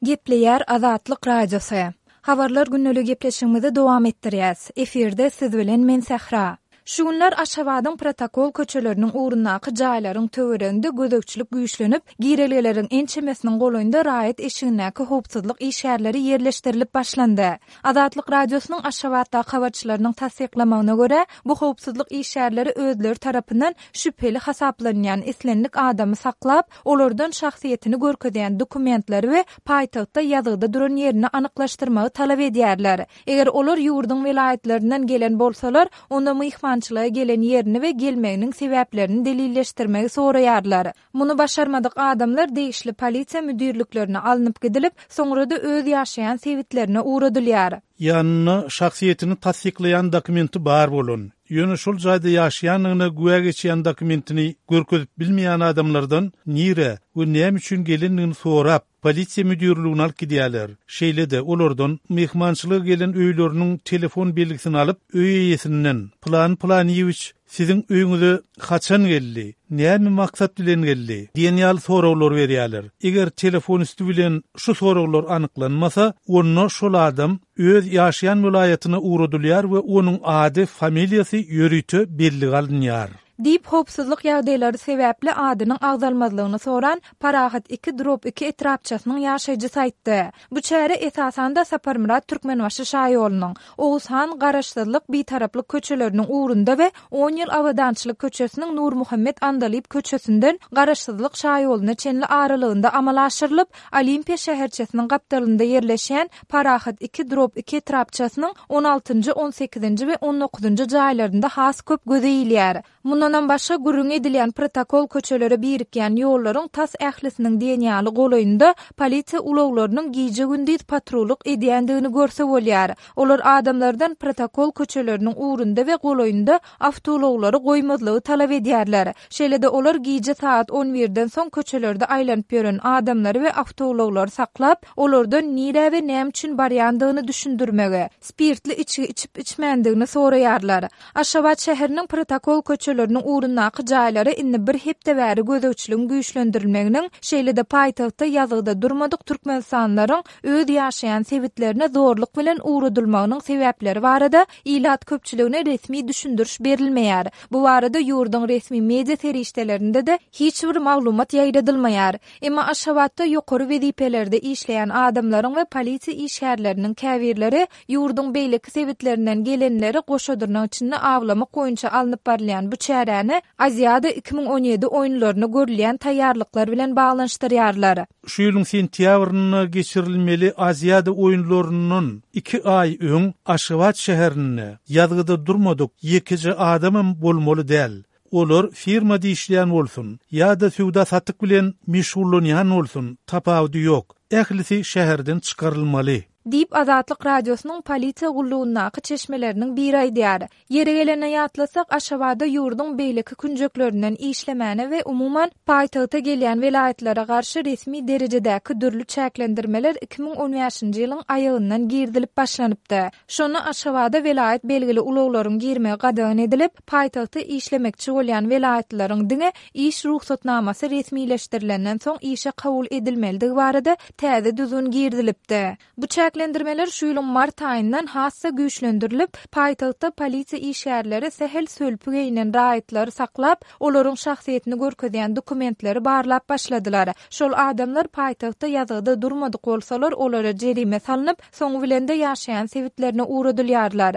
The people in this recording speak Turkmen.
Gepleýär Azatlyk Radiosy. Habarlar gündeli gepleşigimizi dowam etdirýäs. Efirde siz bilen men Sähra. Şu günler Aşgabadyň protokol köçeleriniň ugrundaky jaýlaryň töwereginde gözegçilik güýçlenip, girelgeleriň ençemesiniň golaýynda raýat eşigindäki howpsuzlyk işgärleri ýerleşdirilip başlandy. Azatlyk Radiosynyň Aşgabatdaky habarçylarynyň tassyklamagyna görä, bu howpsuzlyk işgärleri özleri tarapyndan şübheli hasaplanýan islendik adamy saklap, olardan şahsyýetini görkezýän dokumentleri we paýtagtda ýazgyda duran ýerini anyklaşdyrmagy talap edýärler. Eger olar ýurduň welaýatlaryndan gelen bolsalar, onda myhmançylyga gelen ýerini we gelmeginiň sebäplerini delilleşdirmegi soraýarlar. Muny başarmadyk adamlar degişli polisiýa müdirliklerine alnyp gidilip, soňra-da öz ýaşaýan sebitlerine ugradylýar. Ýanynda şahsyýetini tassyklaýan dokumenti bar bolan, ýöne şol jaýda ýaşaýandygyna güwä geçýän dokumentini görkezip bilmeýän adamlardan nirä we näme üçin gelendigini sorap, polisiýa müdirligine alyp gidýärler. Şeýle-de, olardan myhmançylyga gelen öýleriniň telefon belgisini alyp, öý eýesinden, Pylany Pylanyýewiç siziň öýüňize haçan geldi, näme maksat bilen geldi? diýen ýaly soraglar berýärler. Eger telefon üsti bilen şu soraglar anyklanmasa, onda şol adam öz ýaşaýan welaýatyna ugradylýar we onuň ady, familiýasy ýörite bellige alynýar. Diýip, howpsuzlyk ýagdaýlary sebäpli adynyň agzalmazlygyny soran Parahat iki drop iki etrapçasynyň ýaşaýjysy aýtdy. Bu çäre esasanda Saparmyrat Türkmenbaşy şaýolunyň, Oguz han, Garaşsyzlyk, Bitaraplyk köçeleriniň ugrunda we On ýyl Abadançylyk köçesiniň Nurmuhammet Andalyp köçesinden Garaşsyzlyk şaýoluna çenli aralygynda amala aşyrylyp, Olimpiýa şäherçesiniň gapdalynda ýerleşýän Parahat iki drop iki etrapçasynyň on altynjy, on sekizinji we on dokuzynjy jaýlarynda has köp göze ilýär. Mundanam başga, gürrüňi edilýän protokol köçelere birikýän ýollaryň tas ählisiniň diýen ýaly golaýynda polisiýa ulaglarynyň gije-gündiz patrullyk edýändigini görse bolýar. Olar adamlardan protokol köçeleriniň ugrunda we golaýynda awtoulaglary goýmazlygy talap edýärler. Şeýle-de olar gije sagat on birden soň köçelerde aýlanyp ýören adamlary we awtoulaglary saklap, olardan nirä we näme üçin barýandygyny düşündirmegi, spirtli içgi içip-içmändigini soraýarlar. Aşgabat şäheriniň protokol köçeleriniň ugrundaky jaýlara indi bir hepde bäri gözegçiligiň güýçlendirilmeginiň, şeýle-de paýtagtda ýazgyda durmadyk türkmenistanlylaryň öz ýaşaýan sebitlerine zorluk bilen ugradylmagynyň sebäpleri barada ilat köpçüligine resmi düşündiriş berilmeýär. Bu barada ýurduň resmi media serişdelerinde-de hiç bir maglumat ýaýradylmaýar. Emma Aşgabatda ýokary wezipelerde işleýän adamlaryň we polisiýa işgärleriniň käbirleri ýurduň beýleki sebitlerinden gelenleri goşa dyrnak içinde awlamak boýunça alnyp barylýan bu çäräni Aziada 2017 oýunlaryna görülýän taýýarlyklar bilen baglanyşdyrýarlar. Şu ýylyň sentýabrynda geçirilmeli Aziada oýunlaryndan iki aý öň Aşgabat şäherinde ýazgyda durmadyk ýekeje adamam bolmaly däl. Olar firmada işleýän bolsun ýa-da söwda-satyk bilen meşgullanýan bolsun, tapawudy ýok, ählisi şäherden çykarylmaly. Diýip, Azatlyk Radiosynyň polisiýa gullugyndaky çeşmeleriniň biri aýdýar. Ýeri gelende ýatlasak, Aşgabada ýurduň beýleki künjeklerinden işlemäne we umuman, paýtagta gelýän welaýatlara garşy resmi derejedäki dürli çäklendirmeler 2015-nji ýylyň aýagyndan girizilip başlanypdy. Şonda Aşgabada welaýat belgili ulaglaryň girmegi gadagan edilip, paýtagtda işlemekçi bolýan welaýatlylaryň diňe iş rugsatnamasy resmileşdirilenden soň işe kabul edilmelidigi barada täze düzgün girizilipdi. Bu çäklendirmeler şu ýylyň mart aýyndan has-da güýçlendirilip, paýtagtda polisiýa işgärleri sähel sölpi geýnen raýatlary saklap, olaryň şahsyýetini görkezýän dokumentleri barlap başladylar. Şol adamlar paýtagtda ýazgyda durmadyk bolsalar, olara jerime salnyp, soňy bilen-de ýaşaýan sebitlerine ugradylýarlar.